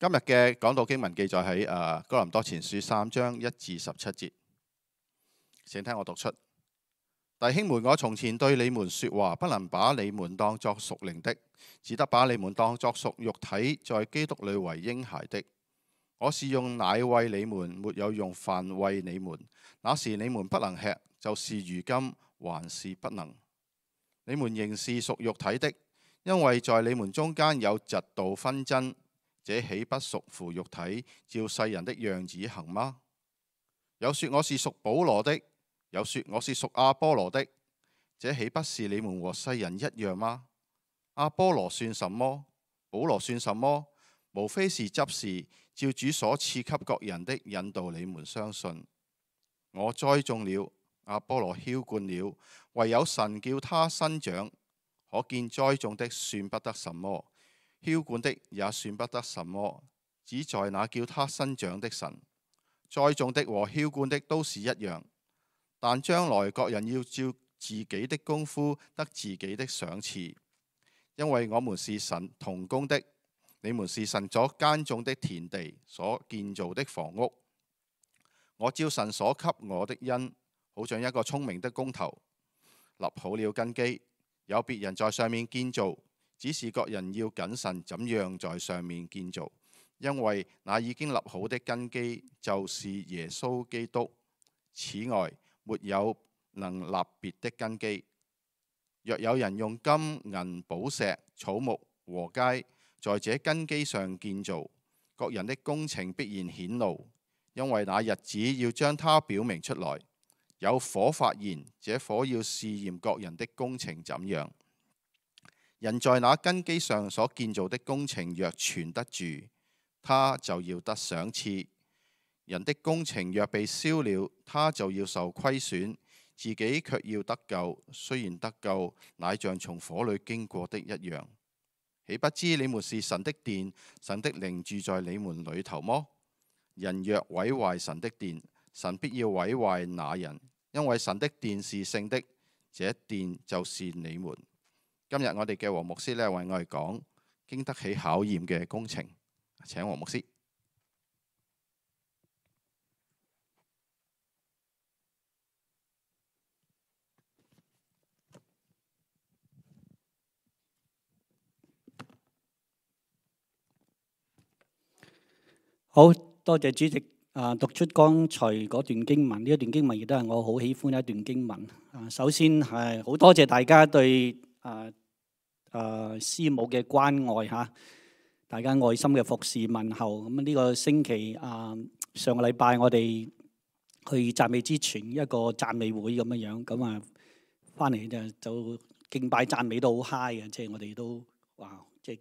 今日嘅講道經文記載喺哥林多前書3章1至17節，請聽我讀出。弟兄們，我從前對你們說話，不能把你們當作屬靈的，只得把你們當作屬肉體，在基督裏為嬰孩的。我是用奶餵你們，沒有用飯餵你們。那時你們不能吃，就是如今還是不能。你們仍是屬肉體的，因為在你們中間有嫉妒紛爭，這豈不屬乎肉體，照世人的樣子行嗎？有說我是屬保羅的，有說我是屬亞波羅的，這豈不是你們和世人一樣嗎？亞波羅算什麼？保羅算什麼？無非是執事，照主所賜給各人的引導你們相信。我栽種了，亞波羅澆灌了，唯有神叫他生長。可見栽種的算不得什麼，澆灌的也算不得什麼，只在那叫他生長的神。栽種的和澆灌的都是一樣，但將來各人要照自己的功夫得自己的賞賜。因為我們是神同工的，你們是神所耕種的田地，所建造的房屋。我照神所給我的恩，好像一個聰明的工頭，立好了根基，有別人在上面建造，只是各人要謹慎怎樣在上面建造，因為那已經立好的根基就是耶穌基督。此外，沒有能立別的根基。若有人用金銀寶石草木禾秸在這根基上建造，各人的工程必然顯露，因為那日子要將它表明出來。有火發現，這火要試驗各人的工程怎樣。人在那根基上所建造的工程若存得住，他就要得賞賜。人的工程若被燒了，他就要受虧損，自己卻要得救。雖然得救，乃像從火裏經過的一樣。豈不知你們是神的殿，神的靈住在你們裏頭麼？人若毀壞神的殿，神必要毀壞那人，因為神的殿是聖的，這殿就是你們。今日我哋嘅黃牧師為我哋講經得起考驗嘅工程，請黃牧師。好多謝主席讀出剛才嗰段經文，呢一段經文亦都係我好喜歡一段經文。首先係好多謝大家對師母嘅關愛嚇，大家愛心嘅服侍問候。咁呢個星期上個禮拜我哋去讚美之泉一個讚美會咁樣，咁啊翻嚟就敬拜讚美都好 high 嘅，即係我哋都哇即係。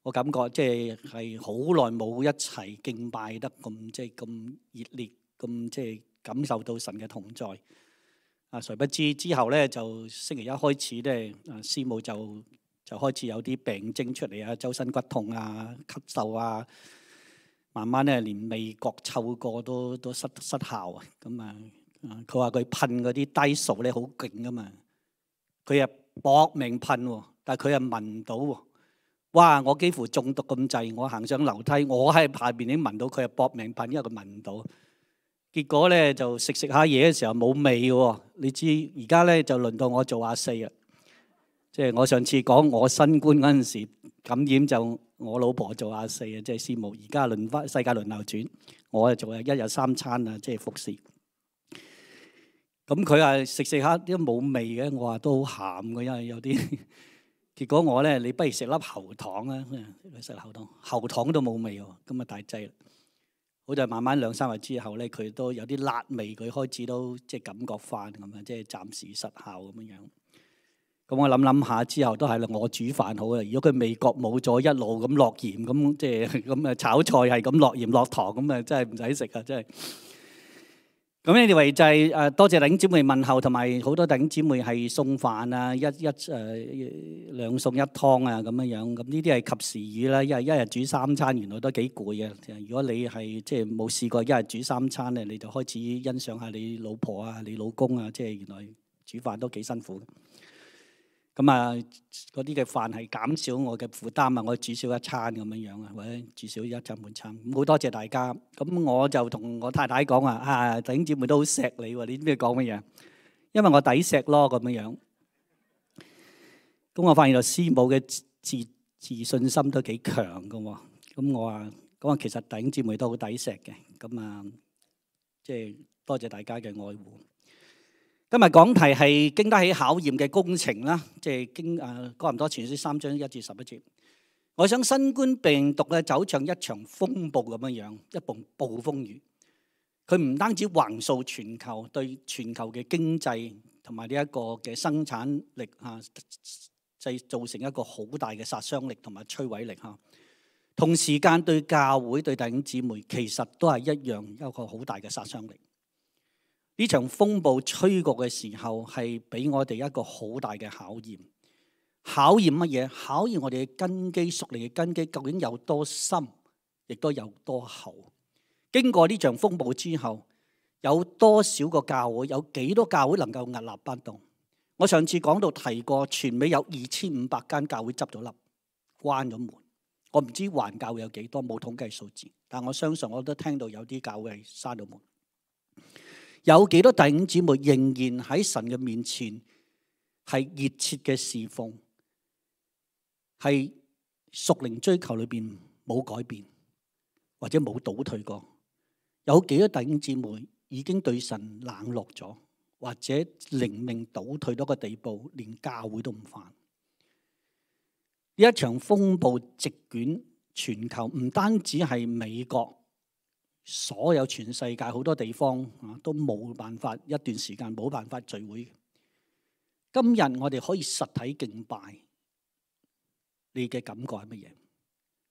我感覺即係好耐冇一齊敬拜得咁即係咁熱烈，咁即係感受到神嘅同在。誰不知之後咧，就星期一開始咧，師母就開始有啲病徵出嚟啊，周身骨痛啊、咳嗽啊，慢慢咧連味覺嗅覺都失效啊。咁啊，佢話佢噴嗰啲低數咧好勁噶嘛，佢又搏命噴喎，但係佢又聞唔到喎。哇！我幾乎中毒咁滯，我行上樓梯，我喺下邊已經聞到佢係搏命噴，因為佢聞唔到。結果咧就食下嘢嘅時候冇味喎。你知而家咧就輪到我做阿四啦。即係我上次講我新冠嗰陣時感染就我老婆做阿四啊，即係師母。而家輪翻世界輪流轉，我就做一日3餐啊，即係服侍。咁佢話食下都冇味嘅，我話都好鹹嘅，因為有啲。結果我咧，你不如食粒喉糖啊！食喉糖都冇味喎，咁啊大劑啦。好在慢慢2-3日之後咧，佢都有啲辣味，佢開始都即係感覺翻咁啊，即係暫時失效咁樣。咁我諗下之後都係啦，我煮飯好啊。如果佢味覺冇咗，一路咁落鹽咁，即係咁啊炒菜係咁落鹽落糖咁啊，真係唔使食啊！真係。咁anyway就係多謝弟兄姊妹問候，同埋好多弟兄姊妹係送飯啊，兩餸一湯啊咁樣。咁呢啲係及時雨啦，因為一日煮3餐原來都幾攰嘅。如果你係即係冇試過一日煮3餐咧，你就開始欣賞下你老婆啊、你老公啊，即係原來煮飯都幾辛苦。咁啊，嗰啲嘅飯係減少我嘅負擔啊，我煮少一餐咁樣樣啊，或者煮少一餐半餐。咁好多謝大家。咁我就同我太太講話啊，弟兄姊妹都好錫你喎，你知唔知講乜嘢？因為我抵錫咯咁樣樣。咁我發現到師母嘅自信心都幾強㗎喎。咁我話其實弟兄姊妹都好抵錫嘅。咁啊，即係多謝大家嘅愛護。今日講題係經得起考驗嘅工程啦，即係哥林多前書3章1至11節。我想新冠病毒咧走向一場風暴咁樣樣，一暴暴風雨。佢唔單止橫掃全球，對全球嘅經濟同埋呢一個嘅生產力製造成一個好大嘅殺傷力同埋摧毀力嚇。同時間對教會對弟兄姊妹其實都係一樣一個好大嘅殺傷力。呢場風暴吹過嘅時候，係俾我哋一個好大嘅考驗。考驗乜嘢？考驗我哋嘅根基，屬靈嘅根基究竟有多深，亦都有多厚。經過呢場風暴之後，有多少個教會，有幾多教會能夠屹立不動？我上次講到提過，全美有2500間教會執咗笠，關咗門。我唔知環教會有幾多，冇統計數字，但我相信我都聽到有啲教會係閂咗門。有幾多弟兄姊妹仍然喺神嘅面前係熱切嘅侍奉，係屬靈追求裏邊冇改變或者冇倒退過？有幾多弟兄姊妹已經對神冷落咗，或者靈命倒退到個地步，連教會都唔返？呢一場風暴席捲全球，唔單止係美國。所有全世界好多地方都冇辦法，一段時間冇辦法聚會。今日我哋可以實體敬拜，你嘅感覺係乜嘢？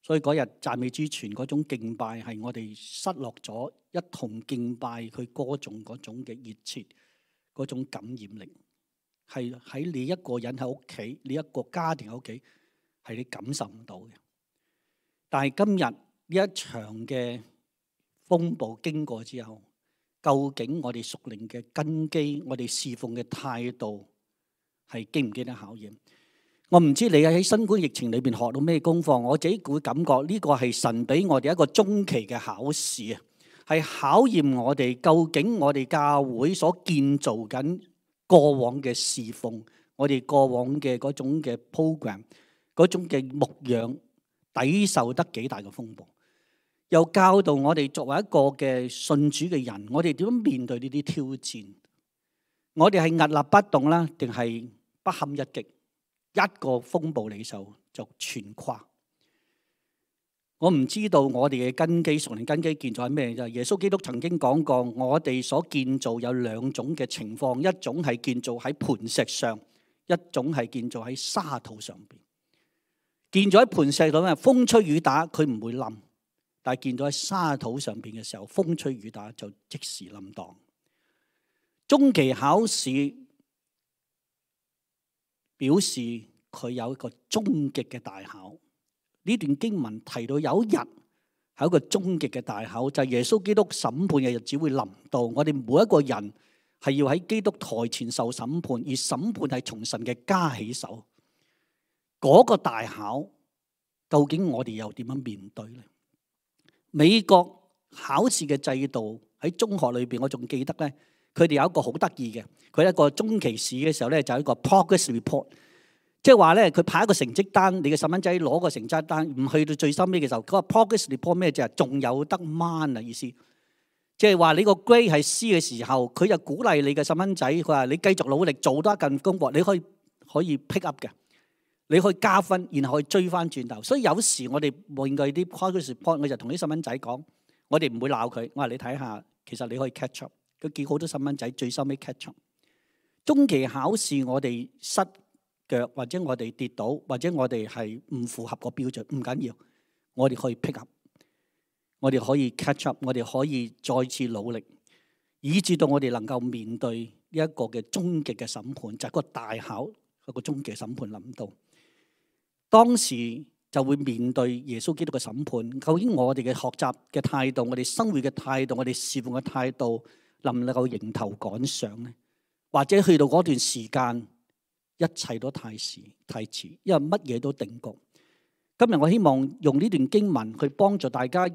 所以嗰日讚美之泉嗰種敬拜係我哋失落咗一同敬拜佢歌頌嗰種嘅熱切，嗰種感染力，係喺你一個人喺屋企，你一個家庭喺屋企，係你感受唔到嘅。但係今日呢一場嘅風暴經過之後，究竟我哋屬靈嘅根基，我哋侍奉嘅態度係經唔經得考驗？我唔知你喺新冠疫情裏邊學到咩功課，我自己會感覺呢個係神俾我哋一個中期嘅考試啊，係考驗我哋究竟我哋教會所建造緊過往嘅侍奉，我哋過往嘅嗰種嘅 program， 嗰種嘅牧養抵受得幾大嘅風暴。又教導我哋作為一個嘅信主嘅人，我哋點樣面對呢啲挑戰？我哋係屹立不動啦，定係不堪一擊？一個風暴嚟就全垮。我唔知道我哋嘅根基，屬靈根基建造係咩啫？耶穌基督曾經講過，我哋所建造有兩種嘅情況，一種係建造喺磐石上，一種係建造喺沙土上邊。建造喺磐石度咧，風吹雨打佢唔會冧。但係見到喺沙土上邊嘅時候，風吹雨打就即時冧檔。中期考試表示佢有一個終極嘅大考。呢段經文提到有一日係一個終極嘅大考，就係耶穌基督審判嘅日子會臨到。我哋每一個人係要喺基督台前受審判，而審判係從神嘅家起手。嗰個大考究竟我哋又點樣面對呢？美國考試嘅制度喺中學裏邊，我仲記得咧，佢哋有一個好得意嘅，佢一個中期試嘅時候咧，就係一個 progress report， 即係話咧，佢派一個成績單，你嘅細蚊仔攞個成績單，唔去到最深尾嘅時候，嗰個 progress report 咩啫？仲有得掹啊意思，即係話你個 grade 係 C 嘅時候，佢就鼓勵你嘅細蚊仔，佢話你繼續努力做多一份功課，你可以 pick up 嘅。你可以加分，然後可以追翻轉頭。所以有時我哋面對啲 progress report， 我就同啲細蚊仔講，我哋唔會鬧佢。我話你睇下，其實你可以 catch up。佢見好多細蚊仔最收尾 catch up。中期考試我哋失腳，或者我哋跌倒，或者我哋係唔符合個標準，唔緊要，我哋可以 pick up， 我哋可以 catch up， 我哋可以再次努力，以至到我哋能夠面對呢一個嘅終極嘅審判，就係個大考，一個終極審判臨到。當時就會面對耶穌基督嘅審判。究竟我哋嘅學習嘅態度，我哋生活嘅態度，我哋侍奉嘅態度，能唔能夠迎頭趕上呢？或者去到嗰段時間，一切都太遲，因為乜嘢都定局。今日我希望用呢段經文去幫助大家。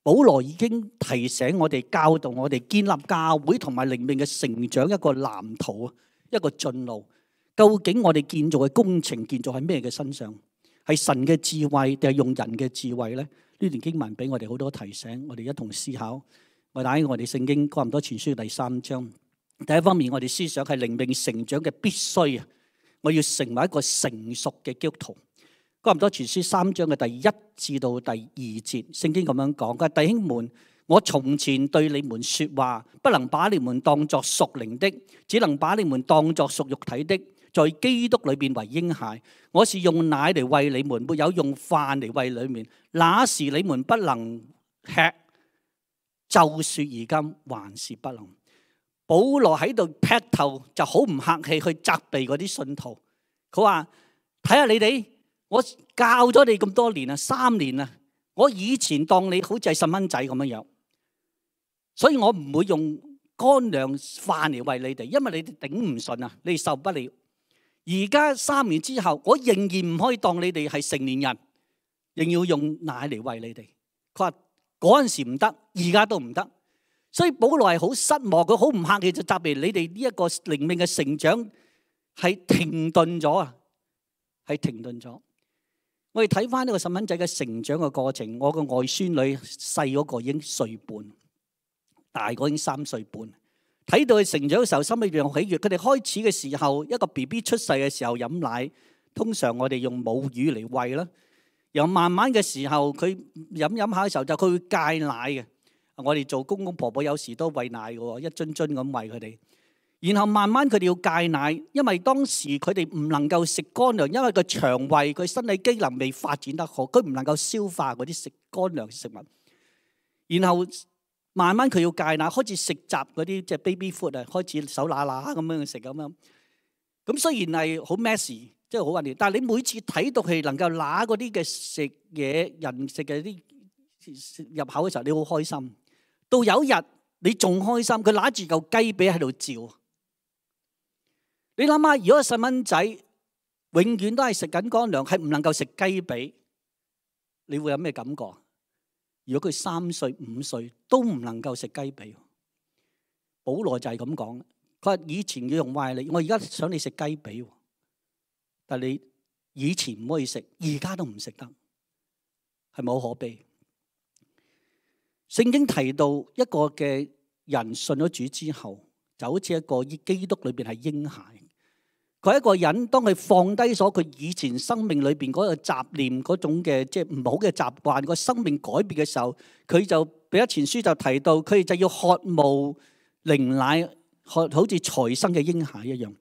保羅已經提醒我哋、教導我哋建立教會同埋靈命嘅成長一個藍圖啊，一個進路。究竟我哋建造嘅工程建造喺咩嘅身上？係神嘅智慧定係用人嘅智慧呢？呢段經文俾我哋好多提醒，我哋一同思考。我打開我哋聖經哥林多前書第3章，第一方面我哋思想係靈命成長嘅必須啊！我要成為一個成熟嘅基督徒。哥林多前書3章嘅第1至到第2節，聖經咁樣講：佢話弟兄們，我從前對你們說話，不能把你們當作屬靈的，只能把你們當作屬肉體的，在基督裏邊為嬰孩。我是用奶嚟餵你們，沒有用飯嚟餵你們。那時你們不能吃，就說而今還是不能。保羅喺度劈頭就好唔客氣去責備嗰啲信徒，佢話：睇下你哋。我教咗你咁多年啊，3年啊，我以前當你好似係細蚊仔咁樣樣，所以我唔會用乾糧飯嚟餵你哋，因為你哋頂唔順啊，你哋受不了。而家3年之後，我仍然唔可以當你哋係成年人，仍要用奶嚟餵你哋。佢話嗰陣時唔得，而家都唔得，所以保羅係好失望，佢好唔客氣就責備你哋呢一個靈命嘅成長係停頓咗啊，係停頓咗。我哋睇翻呢個細蚊仔嘅成長嘅過程，我個外孫女細嗰個已經1歲半，大個已經3歲半。睇到佢成長嘅時候，心裏邊好喜悅。佢哋開始嘅時候，一個 BB 出世嘅時候飲奶，通常我哋用母乳嚟餵啦。然後慢慢嘅時候，佢飲下嘅時候就佢會戒奶嘅。我哋做公公婆婆有時都餵奶嘅，一樽樽咁餵佢哋。然後慢慢佢哋要戒奶，因為當時佢哋唔能夠食乾糧，因為個腸胃佢身體機能未發展得好，佢唔能夠消化嗰啲食乾糧食物。然後慢慢佢要戒奶，開始食雜嗰啲即係 baby food 啊，開始手乸乸咁樣食咁樣。咁雖然係好 messy，即係好混亂，但係你每次睇到佢能夠揦嗰啲嘅食嘢人食嘅啲入口嘅時候，你好開心。到有一日你仲開心，佢揦住嚿雞髀喺度照。你諗下，如果個細蚊仔永遠都係食緊乾糧，係唔能夠食雞髀，你會有咩感覺？如果佢3歲、5歲都唔能夠食雞髀，保羅就係咁講。佢話以前要用壞你，我而家想你食雞髀，但係你以前唔可以食，而家都唔食得，係咪好可悲？聖經提到一個嘅人信咗主之後，就好似一個基督裏邊係嬰孩。佢一個人，當佢放低咗佢以前生命裏邊嗰個雜念嗰種嘅即係唔好嘅習慣，個生命改變嘅時候，佢就彼得前書就提到，佢就要渴慕靈奶，好似才生嘅嬰孩一樣。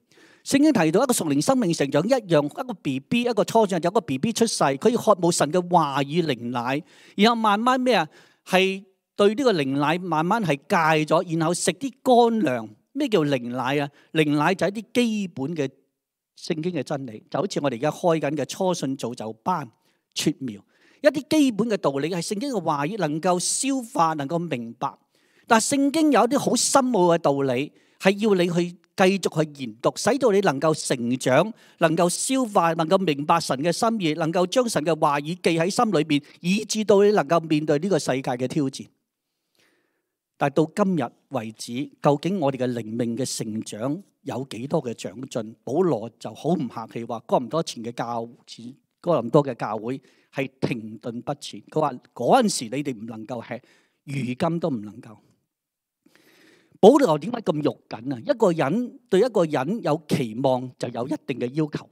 聖經提到一個屬靈生命成長一樣，一個 BB 一個初長有個 BB 出世，佢要渴慕神嘅話語靈奶，然後慢慢咩啊？係對呢個靈奶慢慢係戒咗，然後食啲乾糧。咩叫靈奶啊？靈奶就係一啲基本嘅聖經嘅真理，就好似我哋而家開緊嘅初信造就班撮苗，一啲基本嘅道理係聖經嘅話語能夠消化，能夠明白。但係聖經有一啲好深奧嘅道理，係要你去繼續去研讀，使到你能夠成長，能夠消化，能夠明白神嘅心意，能夠將神嘅話語記喺心裏邊，以致到你能夠面對呢個世界嘅挑戰。但係到今日為止，究竟我哋嘅靈命嘅成長有幾多嘅長進？保羅就好唔客氣話，哥林多嘅教會係停頓不前。佢話嗰陣時你哋唔能夠吃，如今都唔能夠。保羅點解咁肉緊啊？一個人對一個人有期望，就有一定嘅要求。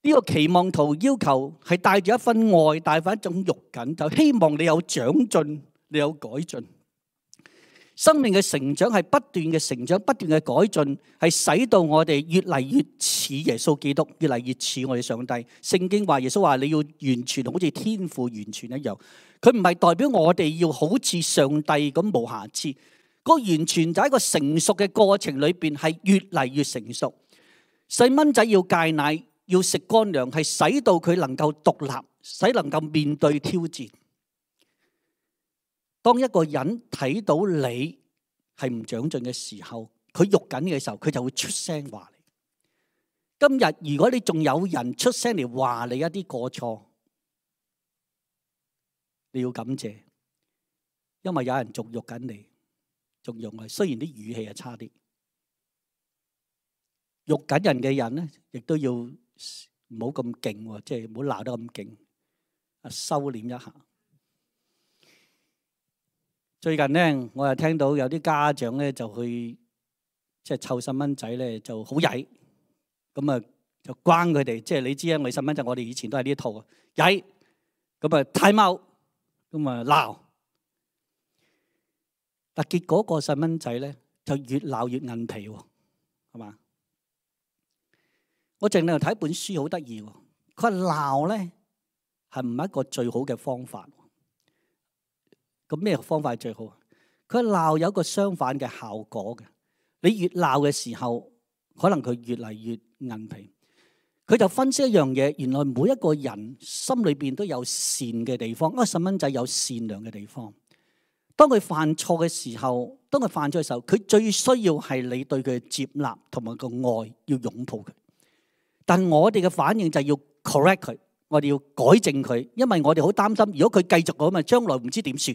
呢個期望同要求係帶住一份愛，帶住一種肉緊，就希望你有長進，你有改進。生命嘅成長係不斷嘅成長，不斷嘅改進，係使到我哋越嚟越似耶穌基督，越嚟越似我哋上帝。聖經話耶穌話你要完全好似天父完全一樣，佢唔係代表我哋要好似上帝咁無瑕疵。個完全就喺個成熟嘅過程裏邊係越嚟越成熟。細蚊仔要戒奶，要食乾糧，係使到佢能夠獨立，使能夠面對挑戰。當一個人睇到你係唔長進嘅時候，佢喐緊嘅時候，佢就會出聲話你。今日如果你仲有人出聲嚟話你一啲過錯，你要感謝，因為有人仲辱緊你，仲用啊。雖然啲語氣係差啲，辱緊人嘅人咧，亦都要唔好咁勁，即係唔好鬧得咁勁，收斂一下。最近咧，我又聽到有啲家長咧就去即係湊細蚊仔咧就好曳，咁啊就關佢哋，即係你知啊，我哋細蚊仔我哋以前都係呢一套啊，曳，咁啊太踎，咁啊鬧，但結果個細蚊仔咧就越鬧越韌皮喎，係嘛？我淨係睇本書好得意喎，佢話鬧咧係唔係一個最好嘅方法？咁咩方法係最好？佢話鬧有一個相反嘅效果嘅，你越鬧嘅時候，可能佢越嚟越韌皮。佢就分析一樣嘢，原來每一個人心裏邊都有善嘅地方，因為細蚊仔有善良嘅地方。當佢犯錯嘅時候，佢最需要係你對佢嘅接納同埋個愛，要擁抱佢。但我哋嘅反應就係要 correct 佢，我哋要改正佢，因為我哋好擔心，如果佢繼續咁啊，將來唔知點算。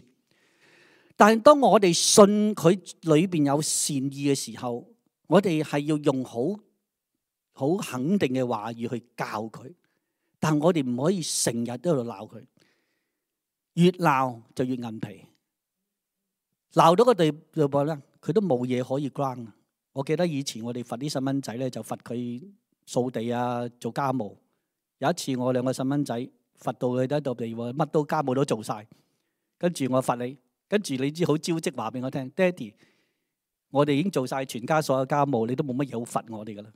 但係當我哋信佢裏邊有善意嘅時候，我哋係要用好肯定嘅話語去教佢，但係我哋唔可以成日都喺度鬧佢，越鬧就越韌皮，鬧到個地步咧，佢都冇嘢可以 ground。我記得以前我哋罰啲細蚊仔咧，就罰佢掃地啊，做家務。有一次我兩個細蚊仔罰到佢喺度地喎，乜都家務都做晒，跟住我罰你，跟住你知好招積話俾我聽，爹哋，我哋已經做晒全家所有家務，你都冇乜嘢好罰我哋噶啦。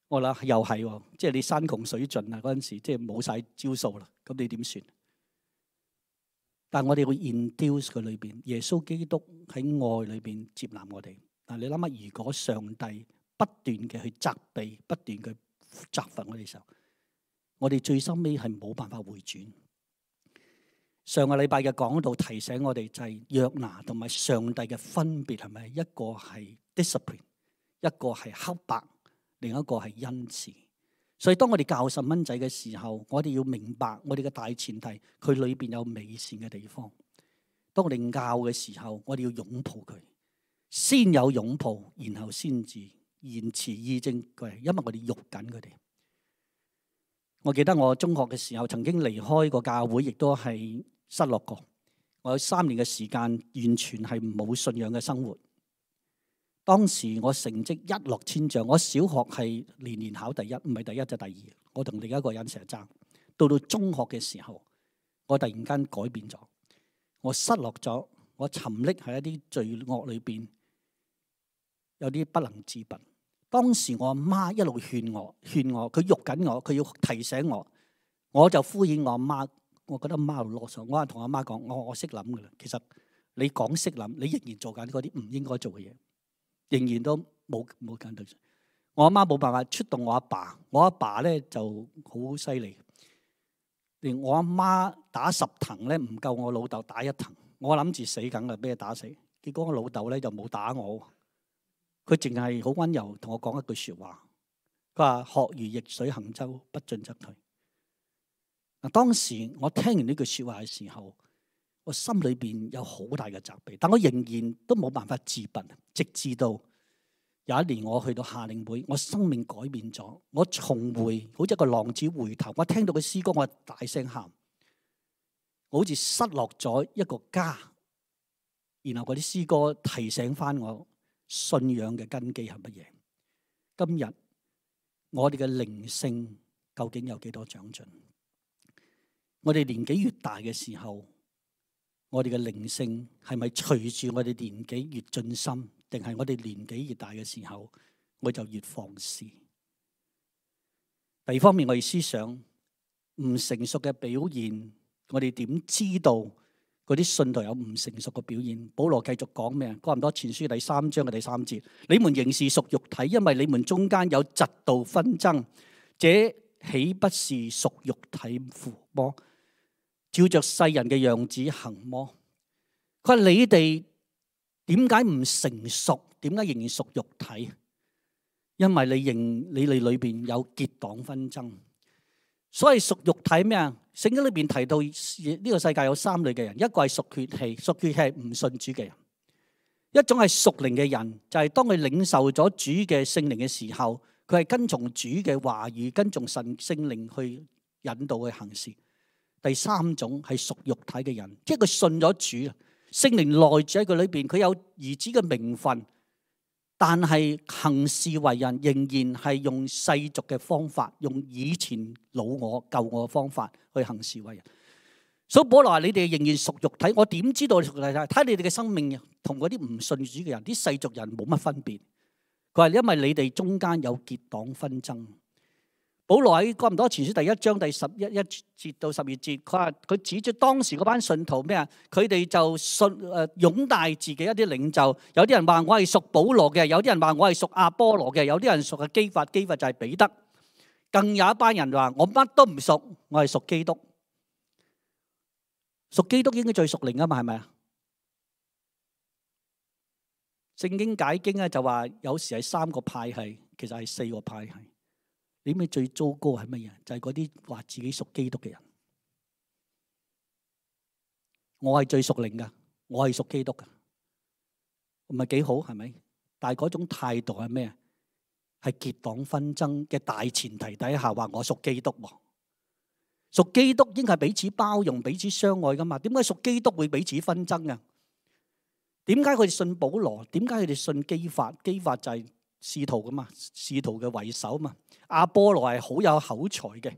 我諗又係喎，即係你山窮水盡啊嗰陣時，即係冇晒招數啦，咁你點算？但係我哋會 induce 佢裏邊，耶穌基督喺愛裏邊接納我哋。嗱，你諗下，如果上帝不斷嘅去責備，不斷嘅責罰我哋嘅時候，我哋最收尾係冇辦法回轉。上個禮拜嘅講道提醒我哋就係約拿同埋上帝嘅分別係咪？一個係 discipline， 一個係黑白，另一個係恩慈。所以當我哋教細蚊仔嘅時候，我哋要明白我哋嘅大前提，佢裏邊有美善嘅地方。當我哋教嘅時候，我哋要擁抱佢，先有擁抱，然後先至言辭義正佢，因為我哋喐緊佢哋。我記得我中學嘅時候曾經離開過教會，亦都係失落過。我有3年嘅時間完全係冇信仰嘅生活。當時我成績一落千丈，我小學係年年考第一，唔係第一就第二。我同另一個人成日爭。到中學嘅時候，我突然間改變咗，我失落咗，我沉溺喺一啲罪惡裏邊，有啲不能自拔。當時我阿媽一路勸我，佢喐緊我，佢要提醒我，我就敷衍我阿媽。我覺得阿媽好囉嗦，我係同阿媽講，我識諗噶啦。其實你講識諗，你仍然做緊嗰啲唔應該做嘅嘢，仍然都冇緊對。我阿媽冇辦法出動我阿爸，我阿爸咧就好犀利，連我阿媽打10藤咧唔夠我老豆打1藤。我諗住死梗啦，俾佢打死。結果我老豆咧就冇打我，佢淨係好溫柔同我講一句說話，佢話學如逆水行舟，不進則退。嗱，當時我聽完呢句說話嘅時候，我心裏邊有好大嘅責備，但我仍然都冇辦法自拔，直至到有一年我去到夏令會，我生命改變咗，我重回好似一個浪子回頭，我聽到嘅詩歌，我大聲喊，我好似失落咗一個家，然後嗰啲詩歌提醒翻我信仰嘅根基係乜嘢。今日我哋嘅靈性究竟有幾多長進？我哋年紀越大嘅時候，我哋嘅靈性係咪隨住我哋年紀越進深，定係我哋年紀越大嘅時候，我就越放肆？第二方面，我哋思想唔成熟嘅表現，我哋點知道嗰啲信徒有唔成熟嘅表現？保羅繼續講咩啊？哥林多前書第3章嘅第3節，你們仍是屬肉體，因為你們中間有嫉妒紛爭，這豈不是屬肉體麼？照着世人嘅樣子行麼？佢話你哋點解唔成熟？點解仍然屬肉體？因為你哋裏邊有結黨紛爭。所以屬肉體咩啊？聖經裏邊提到呢個世界有3類嘅人，一個係屬血氣，屬血氣係唔信主嘅人；一種係屬靈嘅人，就係當佢領受咗主嘅聖靈嘅時候，佢係跟從主嘅話語，跟從神聖靈去引導佢行事。第3種係屬肉體嘅人，即係佢信咗主，聖靈內住喺佢裏邊，佢有兒子嘅名分。但係行事為人仍然係用世俗嘅方法，用以前老我舊我嘅方法去行事為人。所以保羅話：你哋仍然屬肉體，我點知道屬肉體？睇你哋嘅生命同嗰啲唔信主嘅人、啲世俗人冇乜分別。佢話因為你哋中間有結黨紛爭。保羅喺哥林多前書第1章第11節到12節，佢話佢指出當時嗰班信徒咩啊？佢哋就擁戴自己一啲領袖，有啲人話我係屬保羅嘅，有啲人話我係屬亞波羅嘅，有啲人屬嘅基法，基法就係彼得，更有一班人話我乜都唔屬，我係屬基督。屬基督應該最屬靈啊嘛，係咪啊？聖經解經咧就話有時係3個派系，其實係4個派系。你知唔知最糟糕係乜嘢？就係嗰啲話自己屬基督嘅人。我係最屬靈噶，我係屬基督噶，唔係幾好係咪？但係嗰種態度係咩？係結黨紛爭嘅大前提底下話我屬基督喎。屬基督應該係彼此包容、彼此相愛噶嘛？點解屬基督會彼此紛爭啊？點解佢哋信保羅？點解佢哋信基法？基法就係使徒噶嘛，使徒嘅為首嘛。亞波羅係好有口才嘅，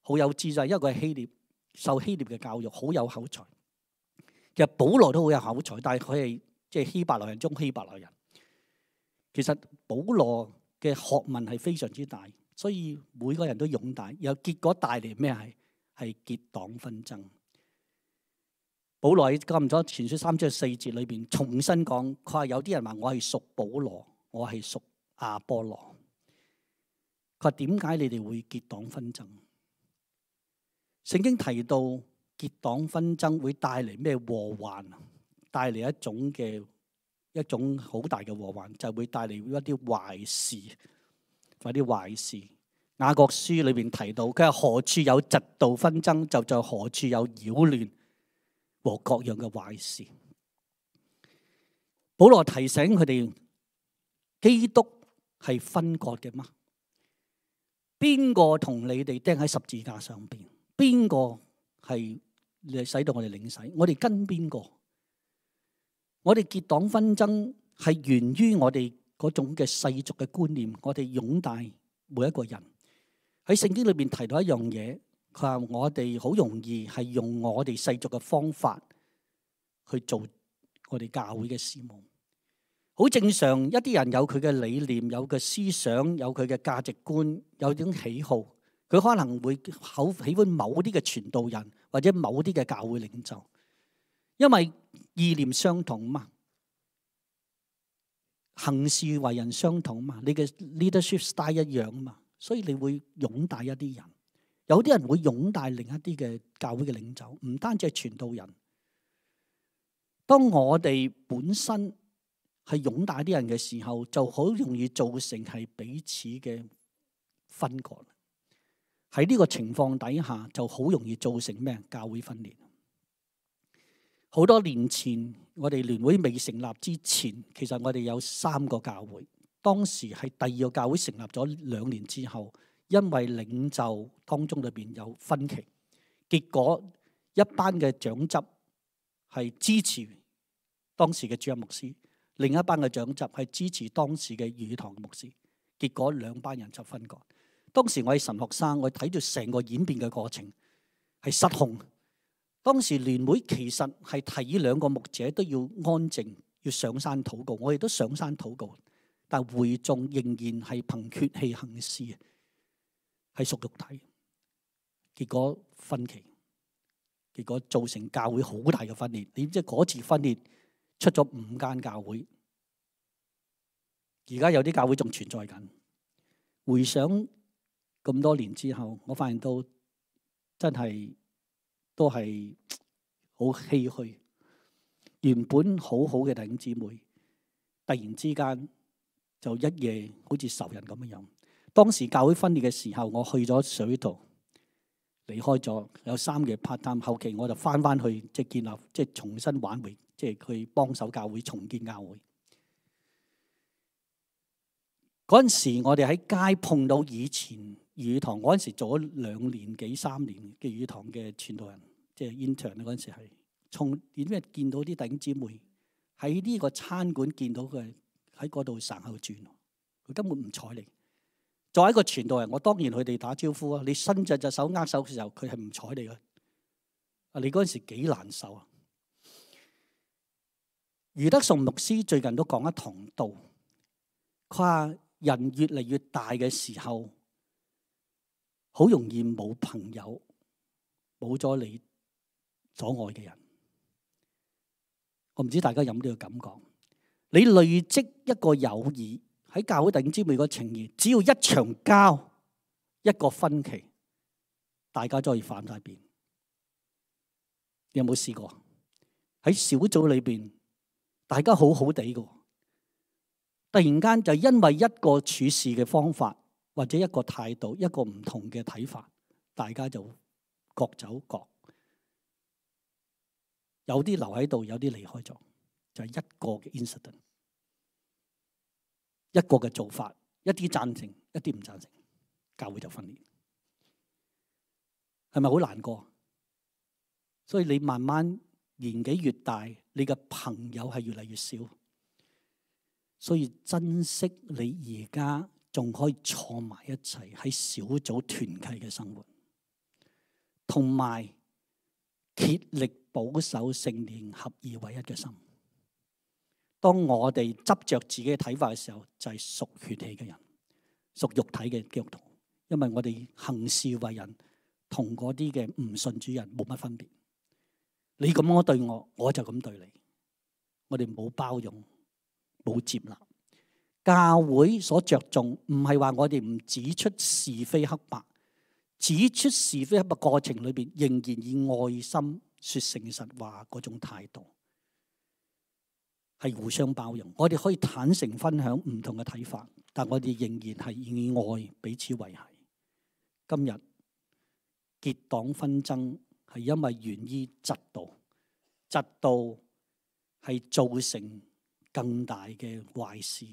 好有智慧，因為佢係希臘，受希臘嘅教育，好有口才。其實保羅都好有口才，但係佢係即係希伯來人中希伯來人。其實保羅嘅學問係非常之大，所以每個人都擁戴，又結果帶嚟咩係結黨紛爭。保羅喺哥林多前書3章4節裏邊重新講，佢話有啲人話我係屬保羅，我係屬亞波羅。佢話點解你哋會結黨紛爭？聖經提到結黨紛爭會帶嚟咩禍患？帶嚟一種好大嘅禍患，就係會帶嚟一啲壞事，或啲壞事。雅各書裏邊提到，佢話何處有嫉妒紛爭，就在何處有擾亂和各樣嘅壞事。保羅提醒佢哋，基督係分割嘅嗎？邊個同你哋釘喺十字架上邊？邊個係使到我哋領洗？我哋跟邊個？我哋結黨紛爭係源於我哋嗰種嘅世俗嘅觀念，我哋擁戴每一個人。喺聖經裏邊提到一樣嘢，佢話我哋好容易係用我哋世俗嘅方法去做我哋教會嘅事務。好正常，一啲人有佢嘅理念，有佢思想，有佢嘅價值觀，有種喜好，佢可能會好喜歡某啲嘅傳道人或者某啲嘅教會領袖，因為意念相同嘛，行事為人相同嘛，你嘅 leadership style 一樣嘛，所以你會擁戴一啲人。有啲人會擁戴另一啲嘅教會嘅領袖，唔單止係傳道人。當我哋本身係擁戴啲人嘅時候，就好容易造成係彼此嘅分割。喺呢個情況底下，就好容易造成咩？教會分裂。好多年前，我哋聯會未成立之前，其實我哋有3個教會。當時係第2個教會成立咗2年之後，因為領袖當中裏邊有分歧，結果一班嘅長執係支持當時嘅主任牧師，另一班嘅長執係支持當時嘅語堂牧師，結果2班人就分割。當時我係神學生，我睇住成個演變嘅過程係失控。當時聯會其實係提議2個牧者都要安靜，要上山禱告，我哋都上山禱告，但會眾仍然係憑血氣行事，係屬肉體，結果分歧，結果造成教會好大嘅分裂。你知嗰次分裂出咗5間教會，而家有啲教會仲存在緊。回想咁多年之後，我發現到真係都係好唏噓。原本好好嘅弟兄姊妹，突然之間就一夜好似仇人咁樣。當時教會分裂嘅時候，我去咗水道，離開咗有3個月 part time， 後期我就翻去即係建立，即係重新挽回，即係去幫手教會重建教會。嗰陣時我哋喺街碰到以前粵語堂，嗰陣時做咗2年幾3年嘅粵語堂嘅傳道人，即係 intern 嗰陣時係從點解見到啲弟兄姊妹喺呢個餐館見到佢喺嗰度神後轉，佢根本唔睬你。作為一個傳道人，我當然佢哋打招呼啊！你伸隻手握手嘅時候，佢係唔睬你嘅。啊，你嗰陣時幾難受啊！余德崇牧師最近都講一堂道，佢話人越嚟越大嘅時候，好容易冇朋友，冇咗你所愛嘅人。我唔知大家有冇呢個感覺？你累積一個友誼。喺教會弟兄姊妹個情誼，只要一場交，一個分歧，大家都可以反晒面。你有冇試過？喺小組裏邊，大家好好地嘅，突然間就因為一個處事嘅方法，或者一個態度，一個唔同嘅睇法，大家就各走各。有啲留喺度，有啲離開咗，就係一個嘅 incident。一個嘅做法，一啲贊成，一啲唔贊成，教會就分裂，係咪好難過？所以你慢慢年紀越大，你嘅朋友係越嚟越少，所以珍惜你而家仲可以坐埋一齊喺小組團契嘅生活，同埋竭力保守聖靈合而為一嘅心。當我哋執着自己嘅睇法嘅時候，就係屬血氣嘅人，屬肉體嘅基督徒。因為我哋行事為人同嗰啲嘅唔信主人冇乜分別。你咁樣對我，我就咁對你。我哋冇包容，冇接納。教會所着重唔係話我哋唔指出是非黑白，指出是非黑白過程裏邊，仍然以愛心說誠實話嗰種態度。係互相包容，我哋可以坦誠分享唔同嘅睇法，但我哋仍然係以愛彼此維繫。今日結黨紛爭係因為源於嫉妒，嫉妒係造成更大嘅壞事。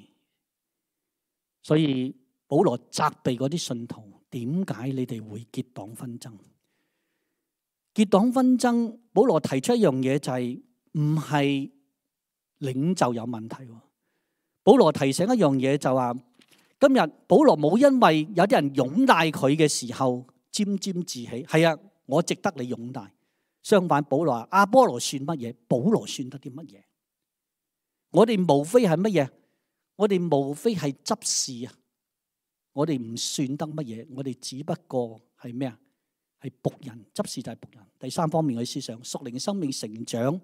所以保羅責備嗰啲信徒，點解你哋會結黨紛爭？結黨紛爭，保羅提出一樣嘢就係唔係領袖有問題。保羅提醒一樣嘢就話，今日保羅冇因為有啲人擁戴佢嘅時候沾沾自喜，係啊，我值得你擁戴。相反，保羅話阿波羅算乜嘢？保羅算得啲乜嘢？我哋無非係乜嘢？我哋無非係執事啊！我哋唔算得乜嘢，我哋只不過係咩啊？係僕人，執事就係僕人。第三方面嘅思想，屬靈生命成長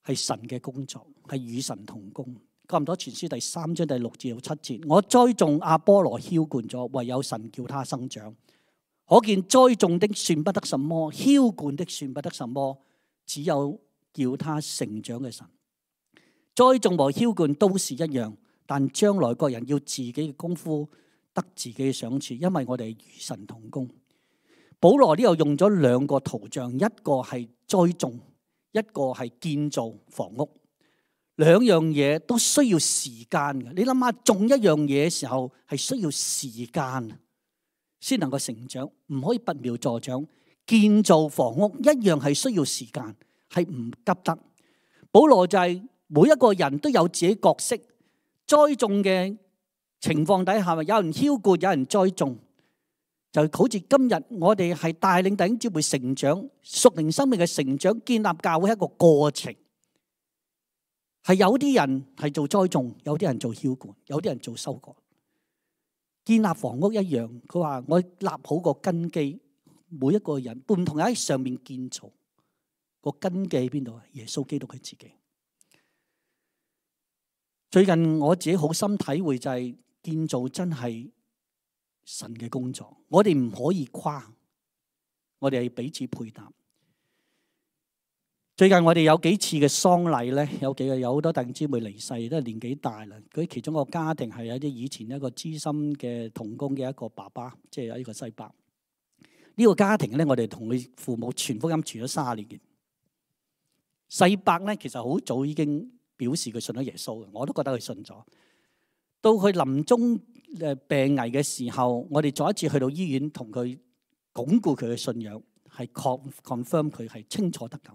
係神嘅工作，係與神同工。哥林多前書第3章第6至7節，我栽種阿波羅澆灌咗，唯有神叫他生長。可見栽種的算不得什麼，澆灌的算不得什麼，只有叫他成長嘅神。栽種和澆灌都是一樣，但將來各人要自己嘅功夫得自己嘅賞賜，因為我哋與神同工。保羅呢度用咗2個圖像，一個係栽種，一個係建造房屋。兩樣嘢都需要時間嘅。你諗下，種一樣嘢嘅時候係需要時間先能夠成長，唔可以拔苗助長。建造房屋一樣係需要時間，係唔急得。保羅就係每一個人都有自己角色，栽種嘅情況底下，有人澆灌，有人栽種，就好似今日我哋係帶領弟兄姊妹成長，屬靈生命嘅成長，建立教會係一個過程。係有啲人係做栽種，有啲人做澆灌，有啲人做收割。建立房屋一樣，佢話我立好個根基，每一個人唔同喺上面建造，個根基喺邊度啊？耶穌基督佢自己。最近我自己好深體會就係建造真係神嘅工作，我哋唔可以誇，我哋係彼此配搭。最近我哋有幾次嘅喪禮咧，有好多弟兄姊妹離世，都係年紀大啦。佢其中一個家庭係有啲以前一個資深嘅同工嘅一個爸爸，即係有呢個西伯。呢個家庭咧，我哋同佢父母傳福音傳咗30年嘅。西伯咧，其實好早已經表示佢信咗耶穌嘅，我都覺得佢信咗。到佢臨終病危嘅時候，我哋再一次去到醫院同佢鞏固佢嘅信仰，係 confirm 佢係清楚得救。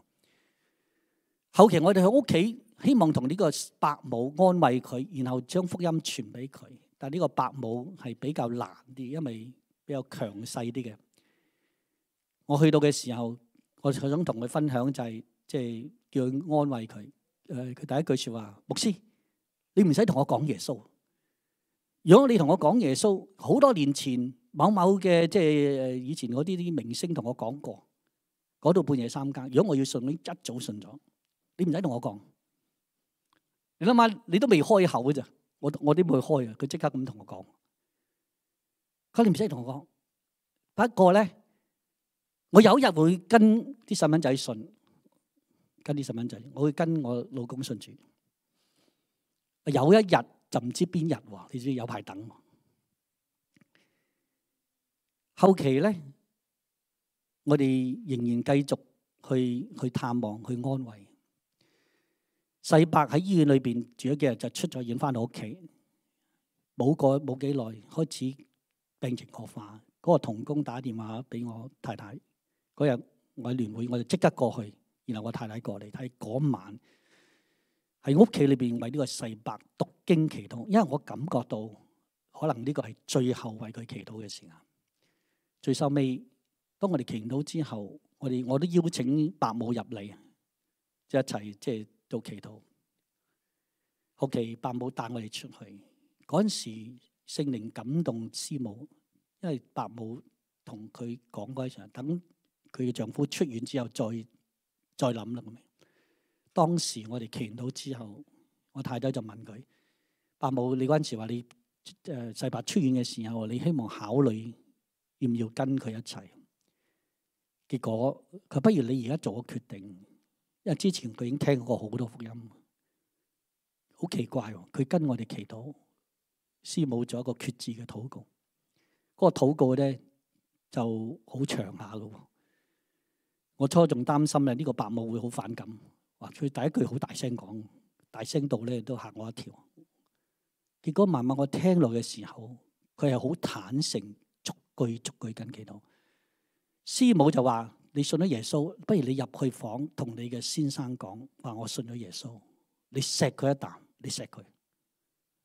後期我哋去屋企，希望同呢個伯母安慰佢，然後將福音傳俾佢。但係呢個伯母係比較難啲，因為比較強勢啲嘅。我去到嘅時候，我想同佢分享就係即係叫佢安慰佢。佢第一句說話：牧師，你唔使同我講耶穌。如果你同我講耶穌，好多年前某某嘅即係以前嗰啲明星同我講過，嗰度半夜3更。如果我要信，你一早信咗。你唔使同我講，你諗下，你都未開口嘅咋？我點會開啊？佢即刻咁同我講，佢你唔使同我講。不過咧，我有一日會跟啲細蚊仔信，跟啲細蚊仔，我會跟我老公信主。有一日就唔知邊日喎，你知有排等。後期咧，我哋仍然繼續去探望，去安慰。細伯喺醫院裏邊住咗幾日，就出咗院翻到屋企，冇幾耐開始病情惡化。嗰個同工打電話俾我太太，嗰日我喺聯會，我就即刻過去，然後我太太過嚟睇。嗰晚喺屋企裏邊為呢個細伯讀經祈禱，因為我感覺到可能呢個係最後為佢祈禱嘅時間。最收尾，當我哋祈禱之後，我都邀請伯母入嚟，即係一齊即係做祈禱。後期伯母帶我哋出去，嗰陣時聖靈感動師母，因為伯母同佢講嗰一場，等佢嘅丈夫出院之後再諗啦。咁當時我哋祈禱之後，我太太就問佢：伯母，你嗰陣時話你細伯出院嘅時候，你希望考慮要唔要跟佢一齊？結果佢不如你而家做個決定，因為之前佢已經聽過好多福音。好奇怪喎！佢跟我哋祈禱，師母做一個決志嘅禱告。嗰個禱告咧就好長下嘅。我初仲擔心咧，呢個伯母會好反感。哇！佢第一句好大聲講，大聲到咧都嚇我一跳。結果慢慢我聽落嘅時候，佢係好坦誠，逐句跟祈禱。師母就話：你信咗耶穌，不如你入去房同你嘅先生講，話我信咗耶穌。你錫佢一啖。你錫佢，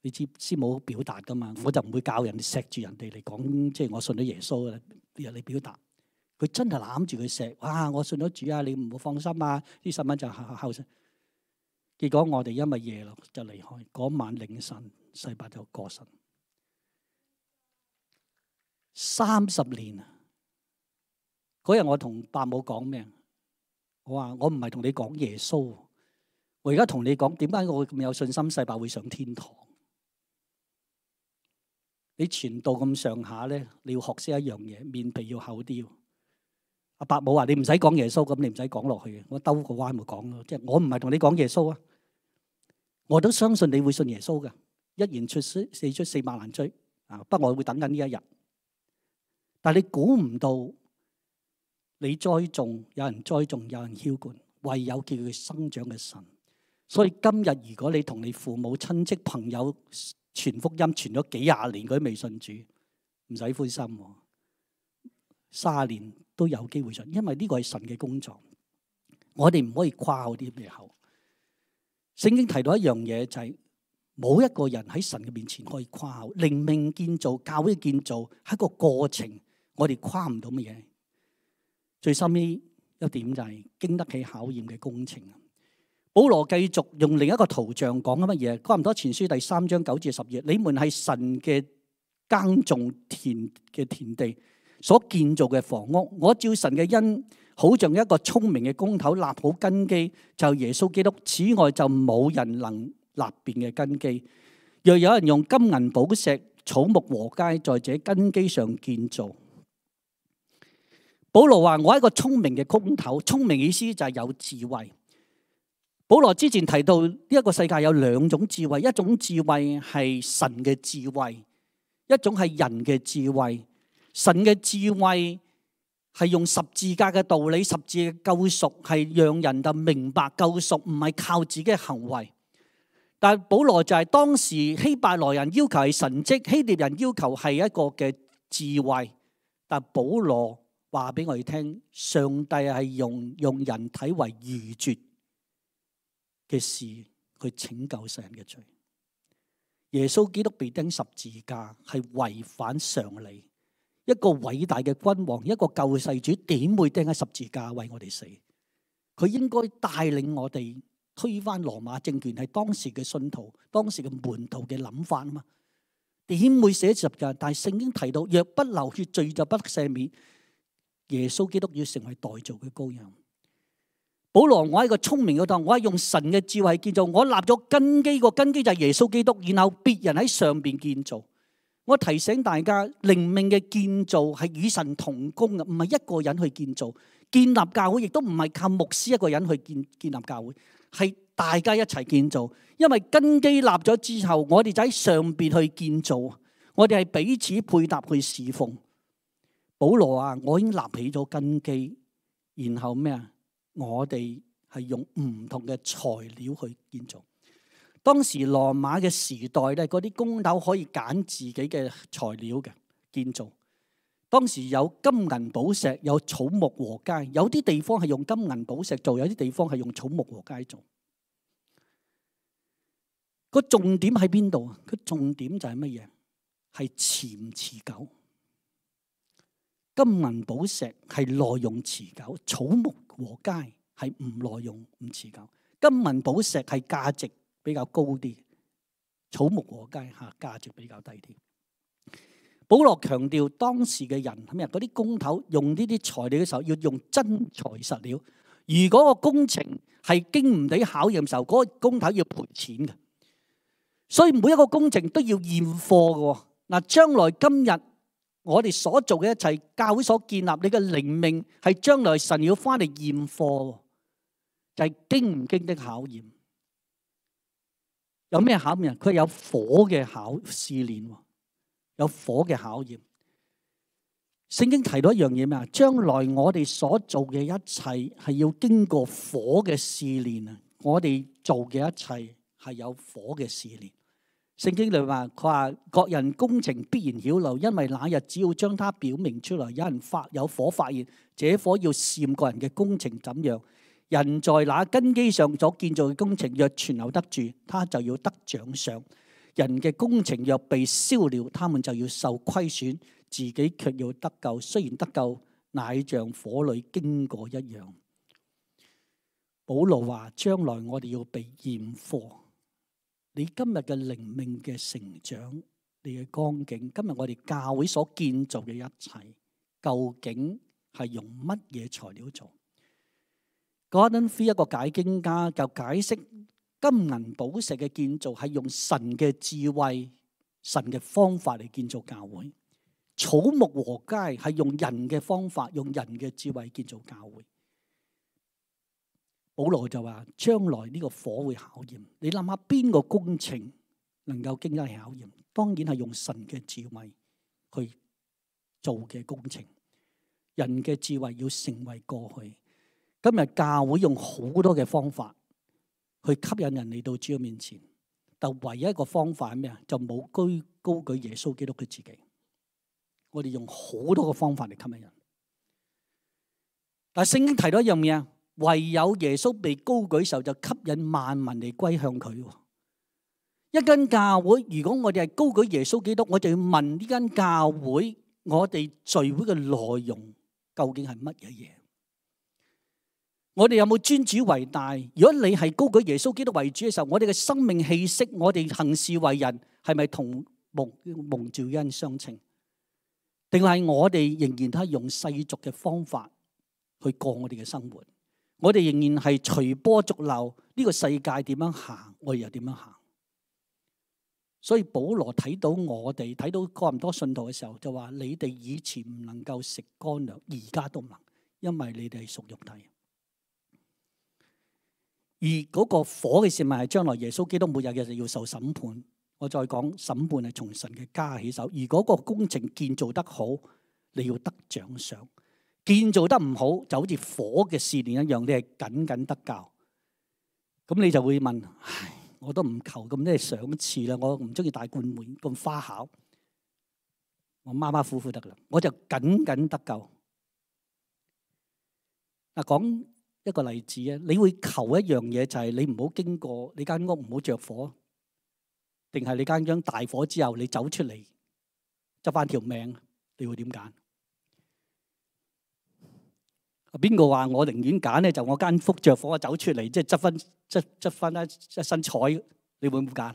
你知師母表達噶嘛？我就唔會教人哋錫住人哋嚟講，即係我信咗耶穌啦。你表達，佢真係攬住佢錫。哇！我信咗主啊，你唔好放心啊。啲細蚊就後生。結果我哋因為夜咯就離開。嗰晚凌晨，細伯就過身。30年啊！嗰日我同伯母講咩？我話我唔係同你講耶穌。我而家同你講，點解我會咁有信心細伯會上天堂？你傳道咁上下咧，你要學識一樣嘢，面皮要厚啲。阿伯母話：你唔使講耶穌，咁你唔使講落去嘅。我兜個彎咪講咯，即係我唔係同你講耶穌啊，我都相信你會信耶穌噶。一言出四出4萬難追啊！不過我會等緊呢一日。但係你估唔到，你栽種，有人栽種，有人澆灌，唯有叫佢生長嘅神。所以今日如果你同你父母親戚朋友傳福音傳咗幾廿年，佢都未信主，唔使灰心，30年都有機會信，因為呢個係神嘅工作。我哋唔可以誇口啲咩口。聖經提到一樣嘢就係冇一個人喺神嘅面前可以誇口。靈命建造、教會建造係一個過程，我哋誇唔到乜嘢。最深呢一點就係經得起考驗嘅工程。保羅繼續用另一個圖像講緊乜嘢？哥林多前書第3章9至10節，你們係神嘅耕種田嘅田地所建造嘅房屋。我照神嘅恩，好像一個聰明嘅工頭立好根基，就耶穌基督。此外就冇人能立變嘅根基。若有人用金銀寶石、草木禾秸在這根基上建造。保羅話：我係一個聰明嘅工頭，聰明意思就係有智慧。保羅之前提到呢一個世界有兩種智慧，一種智慧係神嘅智慧，一種係人嘅智慧。神嘅智慧係用十字架嘅道理，十字嘅救贖係讓人就明白救贖唔係靠自己嘅行為。但係保羅就係當時希伯來人要求係神蹟，希臘人要求係一個嘅智慧。但係保羅話俾我哋聽，上帝係用人體為愚拙嘅事去拯救世人嘅罪。耶穌基督被釘十字架係違反常理。一個偉大嘅君王，一個救世主，點會釘喺十字架為我哋死？佢應該帶領我哋推翻羅馬政權，係當時嘅信徒、當時嘅門徒嘅諗法啊嘛。點會寫十字架？但係聖經提到，若不流血，罪就不得赦免。耶穌基督要成為代造嘅羔羊。保羅，我係一個聰明嘅當，我係用神嘅智慧建造，我立咗根基，個根基就係耶穌基督，然後別人喺上邊建造。我提醒大家，靈命嘅建造係與神同工嘅，唔係一個人去建造。建立教會亦都唔係靠牧師一個人去建立教會，係大家一齊建造。因為根基立咗之後，我哋就喺上邊去建造，我哋係彼此配搭去侍奉。保羅啊，我已經立起咗根基，然後咩啊？我哋係用唔同嘅材料去建造。當時羅馬嘅時代咧，嗰啲工頭可以揀自己嘅材料嘅建造。當時有金銀寶石，有草木禾秸，有啲地方係用金銀寶石做，有啲地方係用草木禾秸做。個重點喺邊度啊？個重點就係乜嘢？係持唔持久。金銀寶石係耐用持久，草木禾秸係唔耐用唔持久。金銀寶石係價值比較高啲，草木禾秸價值比較低啲。保羅強調當時嘅人係咩？嗰啲工頭用呢啲材料嘅時候要用真材實料。如果個工程係經唔起考驗嘅時候，嗰個工頭要賠錢嘅。所以每一個工程都要驗貨嘅。嗱，將來今日我哋所做嘅一切，教會所建立，你嘅靈命係將來神要翻嚟驗貨，就係經唔經得考驗。有咩考驗？佢有火嘅試煉，有火嘅考驗。聖經提到一樣嘢咩啊？將來我哋所做嘅一切係要經過火嘅試煉啊！我哋做嘅一切係有火嘅試煉。聖經裏話，佢話各人工程必然曉露，因為那日只要將它表明出來，有火發現，這火要試驗個人嘅工程怎樣。人在那根基上所建造嘅工程若存留得住，他就要得獎賞；人嘅工程若被燒了，他們就要受虧損，自己卻要得救。雖然得救，乃像火裏經過一樣。保羅話：將來我哋要被驗貨。你今日嘅靈命嘅成長，你嘅光景，今日我哋教會所建造嘅一切，究竟係用乜嘢材料做？Gordon Fee 一個解經家就解釋金銀寶石嘅建造係用神嘅智慧、神嘅方法嚟建造教會；草木禾秸係用人嘅方法、用人嘅智慧建造教會。保羅就話：將來呢個火會考驗。你諗下邊個工程能夠經得起考驗？當然係用神嘅智慧去做嘅工程。人嘅智慧要成為過去。今日教會用好多嘅方法去吸引人嚟到主嘅面前，但唯一一個方法係咩啊？就冇高舉耶穌基督佢自己。我哋用好多個方法嚟吸引人，但係聖經提到一樣嘢啊，唯有耶穌被高舉時候，就吸引萬民嚟歸向佢。一間教會，如果我哋係高舉耶穌基督，我就要問呢間教會，我哋聚會嘅內容究竟係乜嘢嘢？我哋有冇尊主為大？如果你係高舉耶穌基督為主嘅時候，我哋嘅生命氣息，我哋行事為人，係咪同蒙召恩相稱？定係我哋仍然都係用世俗嘅方法去過我哋嘅生活？我哋仍然係隨波逐流，呢個世界點樣行，我哋又點樣行？所以保羅睇到我哋睇到哥林多信徒嘅時候，就話：你哋以前唔能夠食乾糧，而家都唔能，因為你哋係屬肉體。而嗰個火嘅試問係將來耶穌基督末日嘅要受審判。我再講，審判係從神嘅家起手。而嗰個工程建造得好，你要得獎賞；建造得唔好，就好似火嘅試煉一樣，你係僅僅得救。咁你就會問：唉，我都唔求咁多賞賜啦，我唔中意大冠冕咁花巧，我馬馬虎虎得啦，我就僅僅得救。嗱，講一個例子啊，你會求一樣嘢，就係你唔好經過你間屋唔好着火，定係你間大火之後你走出嚟執翻條命，你會點揀？邊個話我寧願揀咧？就我間屋着火，我走出嚟即係執翻一身彩，你會唔會揀？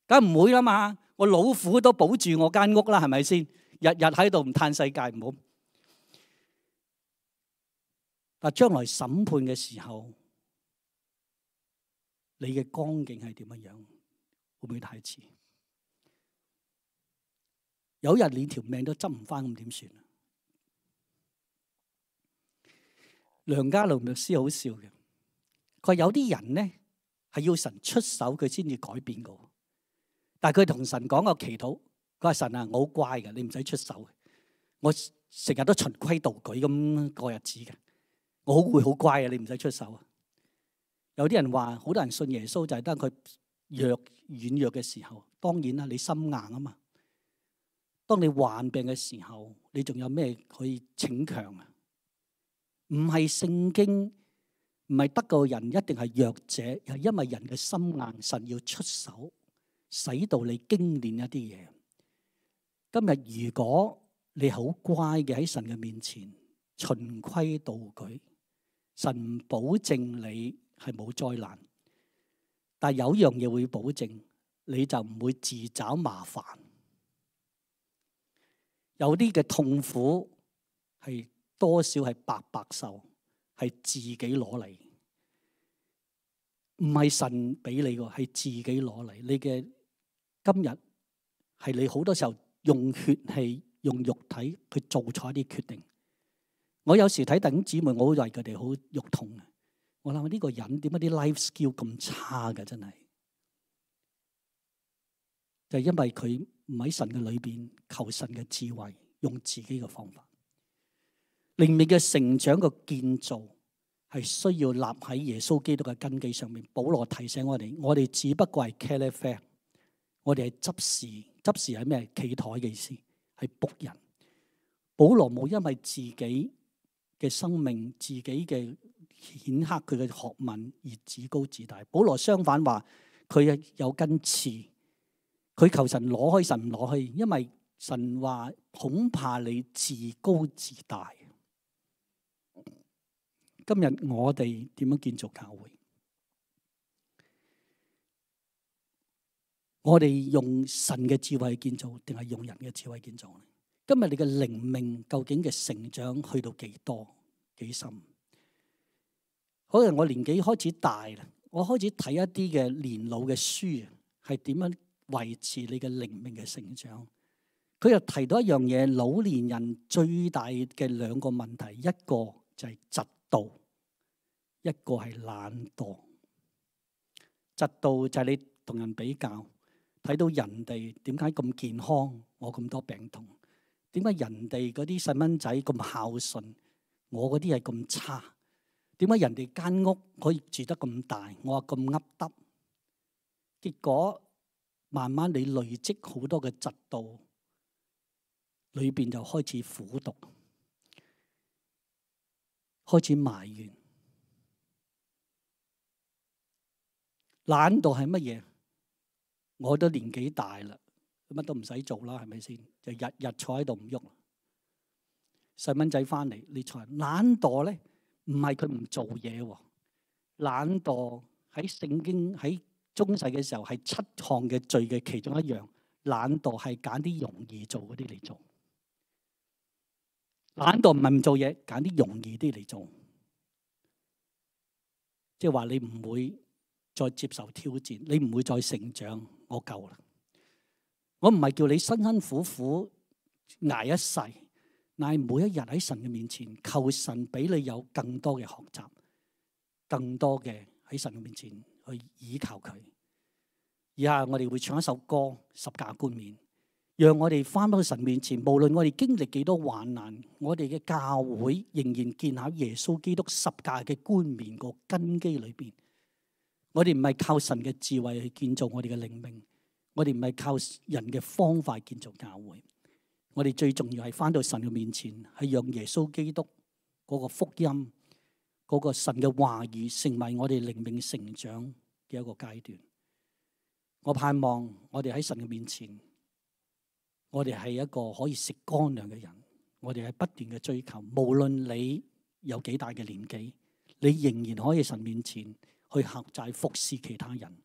梗唔會啦嘛！我老虎都保住我間屋啦，係咪先？日日喺度唔嘆世界唔好。但將來審判嘅時候，你嘅光景係點樣？會唔會太遲？有一日你條命都執唔翻，咁點算？梁家龍牧師好笑嘅，佢話有啲人咧係要神出手佢先至改變嘅，但係佢同神講個祈禱，佢話神啊，我好乖嘅，你唔使出手，我成日都循規蹈矩咁過日子嘅，我好會好乖嘅，你唔使出手啊。有啲人話，好多人信耶穌就係得佢軟弱嘅時候，當然啦，你心硬啊嘛。當你患病嘅時候，你仲有咩可以逞強啊？唔係聖經，唔係得救人一定係弱者，係因為人嘅心硬，神要出手，使到你經練一啲嘢。今日如果你好乖嘅喺神嘅面前循規蹈矩，神保證你係冇災難，但係有樣嘢會保證，你就唔會自找麻煩。有啲嘅痛苦係多少係白白受，係自己攞嚟，唔係神俾你嘅，係自己攞嚟。你嘅今日係你好多時候用血氣、用肉體去做錯一啲決定。我有時睇弟兄姊妹，我會為佢哋好肉痛嘅。我諗呢個人點解啲 life skill 咁差嘅？真係就係因為佢唔喺神嘅裏邊求神嘅智慧，用自己嘅方法。靈命嘅成長嘅建造係需要立喺耶穌基督嘅根基上面。保羅提醒我哋只不過係茄喱啡，我哋係執事。執事係咩？企台嘅意思，係僕人。保羅冇因為自己嘅生命、自己嘅顯赫佢嘅學問而自高自大。保羅相反話，佢有根刺，佢求神攞開，神唔攞開，因為神話恐怕你自高自大。今日我哋點樣建造教會？我哋用神嘅智慧建造，定係用人嘅智慧建造？今日你嘅靈命究竟嘅成長去到幾多幾深？可能我年紀開始大啦，我開始睇一啲嘅年老嘅書，係點樣維持你嘅靈命嘅成長？佢又提到一樣嘢，老年人最大嘅兩個問題，一個就係嫉妒，一個係懶惰。嫉妒就係你同人比較，睇到人哋點解咁健康，我咁多病痛；點解人哋嗰啲細蚊仔咁孝順，我嗰啲係咁差？點解人哋間屋可以住得咁大，我話咁噏得？結果慢慢你累積好多嘅嫉妒，裏邊就開始苦毒，開始埋怨。懶惰係乜嘢？我都年紀大啦，乜都唔使做啦，係咪先？就日日坐喺度唔喐。細蚊仔翻嚟，你坐。懶惰咧，唔係佢唔做嘢喎。懶惰喺聖經喺中世嘅時候係7項嘅罪嘅其中一樣。懶惰係揀啲容易做嗰啲嚟做。懶惰唔係唔做嘢，揀啲容易啲嚟做。即係話你唔會再接受挑戰，你唔會再成長，我夠啦。我唔係叫你辛辛苦苦捱一世，乃係每一日喺神嘅面前求神俾你有更多嘅學習。更多嘅喺神嘅面前去倚靠佢。以下我哋會唱一首歌《十架冠冕》，讓我哋翻到神面前，無論我哋經歷幾多患難，我哋嘅教會仍然建喺耶穌基督十架嘅冠冕個根基裏邊。我哋唔係靠神嘅智慧去建造我哋嘅靈命，我哋唔係靠人嘅方法建造教會。我哋最重要係翻到神嘅面前，係讓耶穌基督嗰個福音、嗰個神嘅話語成為我哋靈命成長嘅一個階段。我盼望我哋喺神嘅面前，我哋係一個可以食乾糧嘅人。我哋係不斷嘅追求，無論你有幾大嘅年紀，你仍然可以喺神面前去克制服侍其他人，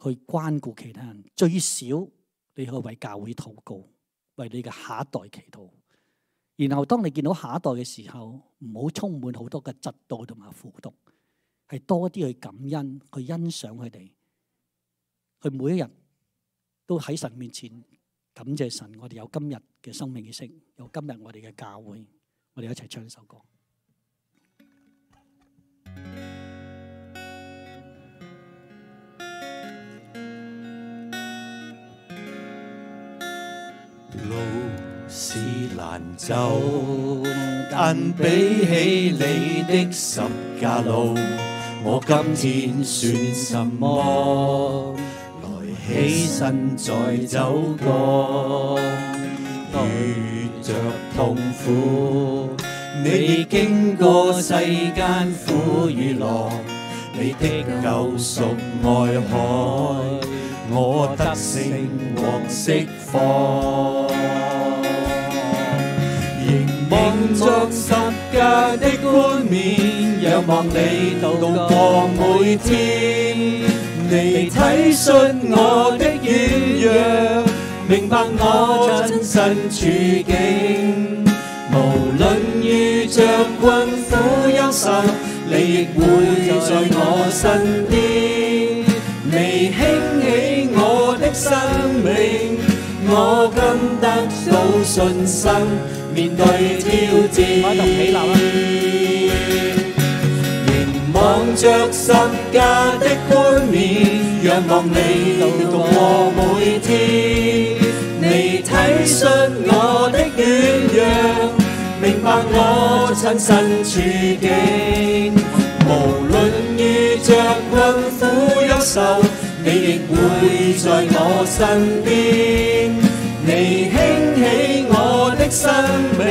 去關顧其他人。最少你可以為教會禱告，為你嘅下一代祈禱。然後當你見到下一代嘅時候，唔好充滿好多嘅嫉妒同埋苦毒，係多啲去感恩，去欣賞佢哋。佢每一日都喺神面前感謝神，我哋有今日嘅生命意識，有今日我哋嘅教會，我哋一齊唱一首歌。路是難走，但比起你的十架路，我今天算什麼？起身再走過，遇着痛苦，你經過世間苦與樂，你的救贖愛海，我得勝獲釋放。凝望着十架的冠冕，仰望你度過每天。你體恤我的軟弱，明白我真實處境。無論遇着困苦憂愁，你亦會在我身邊。你興起我的生命，我今得到信心，面對挑戰。望着十架的冠冕，仰望你度過每天。你體恤我的軟弱，明白我親身處境。無論遇着困苦憂愁，你亦會在我身邊。你興起我的生命，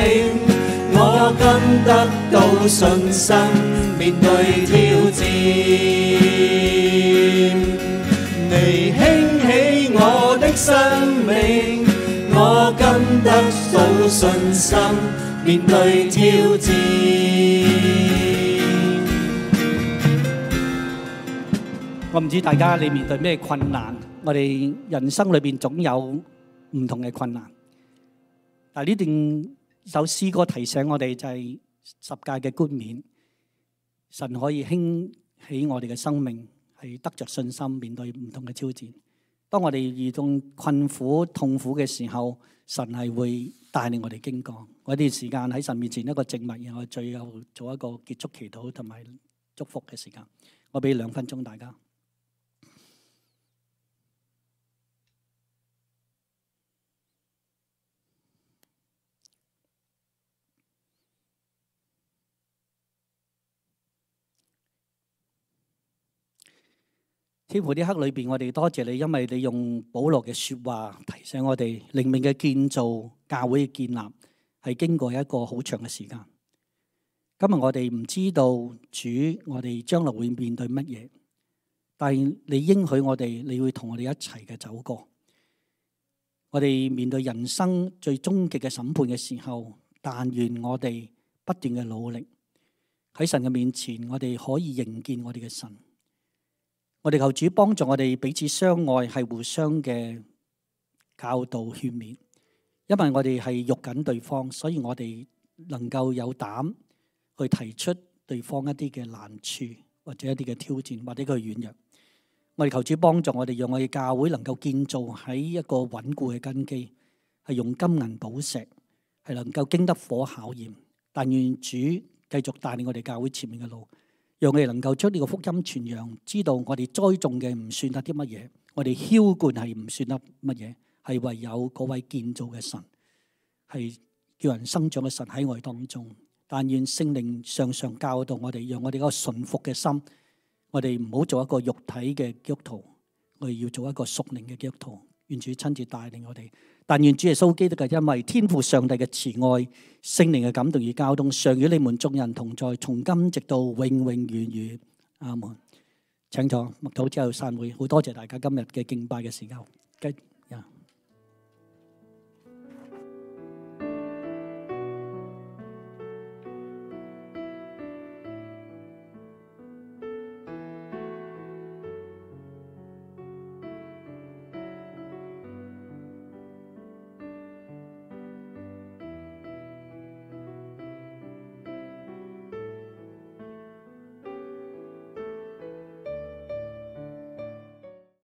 我今得到信心，面對挑戰。你興起我的生命，我今得到信心，面對挑戰。我唔知大家你面對咩困難，我哋人生裏邊總有唔同嘅困難。但係呢段首詩歌提醒我哋就係十架嘅冠冕，神可以興起我哋嘅生命，係得着信心面對唔同嘅挑戰。當我哋遇到困苦痛苦嘅時候，神係會帶領我哋經過嗰段時間喺神面前一個靜默，然後最後做一個結束祈禱同埋祝福嘅時間。我俾2分鐘大家。天父，呢刻裏邊，我哋多謝你，因為你用保羅嘅說話提醒我哋，靈命嘅建造、教會嘅建立係經過一個好長嘅時間。今日我哋唔知道主，我哋將來會面對乜嘢，但係你應許我哋，你會同我哋一齊嘅走過。我哋面對人生最終極嘅審判嘅時候，但願我哋不斷嘅努力喺神嘅面前，我哋可以迎見我哋嘅神。我哋求主幫助我哋彼此相愛，係互相嘅教導勸勉。因為我哋係肉緊對方，所以我哋能夠有膽去提出對方一啲嘅難處，或者一啲嘅挑戰，或者佢軟弱。我哋求主幫助我哋，讓我哋教會能夠建造喺一個穩固嘅根基，係用金銀寶石，係能夠經得火考驗。但願主繼續帶領我哋教會前面嘅路。讓我哋能夠將呢個福音傳揚，知道我哋栽種嘅唔算得啲乜嘢，我哋澆灌係唔算得乜嘢，係唯有嗰位建造嘅神，係叫人生長嘅神喺我哋當中。但願聖靈常常教導我哋，讓我哋嗰個順服嘅心，我哋唔好做一個肉體嘅基督徒，我哋要做一個屬靈嘅基督徒。願主親自帶領我哋。但願主耶穌基督嘅恩惠、天父上帝嘅慈愛、聖靈嘅感動與交通，常與你們眾人同在，從今直到永永遠遠。阿門。請坐，默禱之後散會。好多謝大家今日嘅敬拜嘅時間。